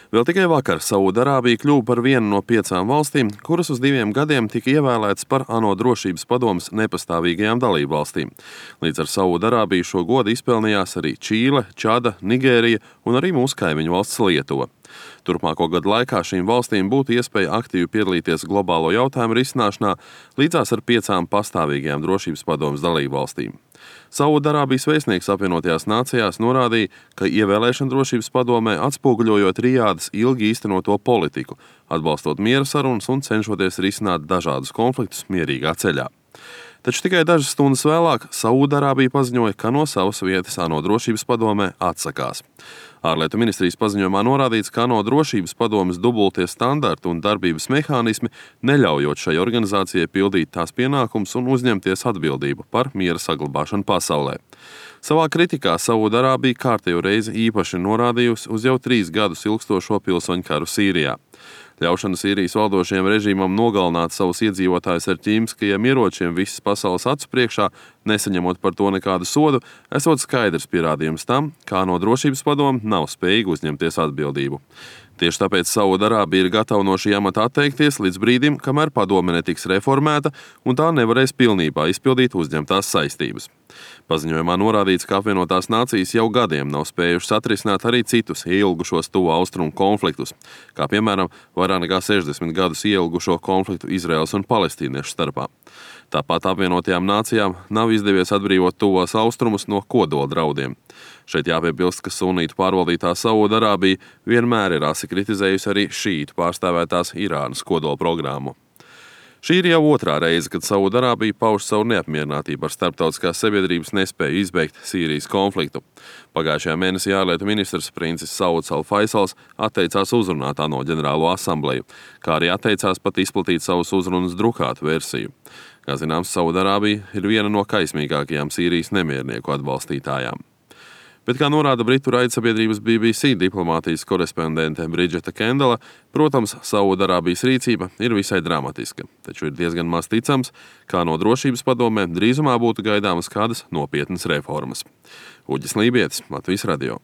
Vēl tikai vakar Saūdarābija kļuva par vienu no 5 valstīm, kuras uz 2 gadiem tika ievēlētas par ANO drošības padomes nepastāvīgajām dalībvalstīm. Līdz ar Saūdarābiju šo godu izpelnījās arī Čīle, Čada, Nigērija un arī mūsu kaimiņu valsts Lietuva. Turpmāko gadu laikā šīm valstīm būtu iespēja aktīvi piedalīties globālo jautājumu risināšanā līdzās ar 5 pastāvīgajām drošības padomes dalībvalstīm. Saūdarābijas vēstnieks apvienotajās nācijās norādīja, ka ievēlēšana drošības padomē atspoguļojot Rijādas ilgi īstenoto politiku, atbalstot miera sarunas un cenšoties risināt dažādus konfliktus mierīgā ceļā. Taču tikai dažas stundas vēlāk Saūdarābija paziņoja, ka no savas vietas ANO drošības padomē atsakās. Ārlietu ministrijas paziņojumā norādīts, ka ANO drošības padomes dubultie standarti un darbības mehānismi neļaujot šai organizācijai pildīt tās pienākumus un uzņemties atbildību par miera saglabāšanu pasaulē. Savā kritikā Saūdarābija kārtējo reizi īpaši norādījusi uz jau 3 gadus ilgstošo pilsoņu karu Sīrijā. Ļaušana Sīrijas valdošajam režīmam nogalināt savus iedzīvotājus ar ķīmiskajiem ieročiem visas pasaules acu priekšā, nesaņemot par to nekādu sodu, esot skaidrs pierādījums tam, kā ANO drošības padome nav spējīga uzņemties atbildību. Tieši tāpēc Saūdarābija ir gatava no šī amata atteikties līdz brīdim, kamēr padome netiks reformēta un tā nevarēs pilnībā izpildīt uzņemtās saistības. Paziņojumā norādīts, ka apvienotās nācijas jau gadiem nav spējušas atrisināt arī citus ilgušos tuvo austrumu konfliktus, kā piemēram vairāk nekā 60 gadus ilgušo konfliktu Izraēlas un palestīniešu starpā. Tāpat apvienotajām nācijām nav izdevies atbrīvot tuvos austrumus no kodola draudiem. Šeit jāpiebilst, ka sunītu pārvaldītā Saūdarābija vienmēr ir asi kritizējusi arī šītu pārstāvētās Irānas kodola programmu. Šī ir jau 2. reize, kad Saūdarābija pauž savu neapmierinātību ar starptautiskās sabiedrības nespēju izbeigt Sīrijas konfliktu. Pagājušajā mēnesī ārlietu ministrs princis Sauds Al-Faisals atteicās uzrunāt ANO ģenerālo asambleju, kā arī atteicās pat izplatīt savus uzrunas drukātu versiju. Kā zināms, Saūdarābija ir viena no kaismīgākajām Sīrijas nemiernieku atbalstītājām. Bet, kā norāda britu raidsabiedrības BBC diplomātijas korespondente Bridžeta Kendala, protams, Saūdarābijas rīcība ir visai dramatiska, taču ir diezgan maz ticams, kā no drošības padomē drīzumā būtu gaidāmas kādas nopietnas reformas. Uģis Lībietis, Latvijas radio.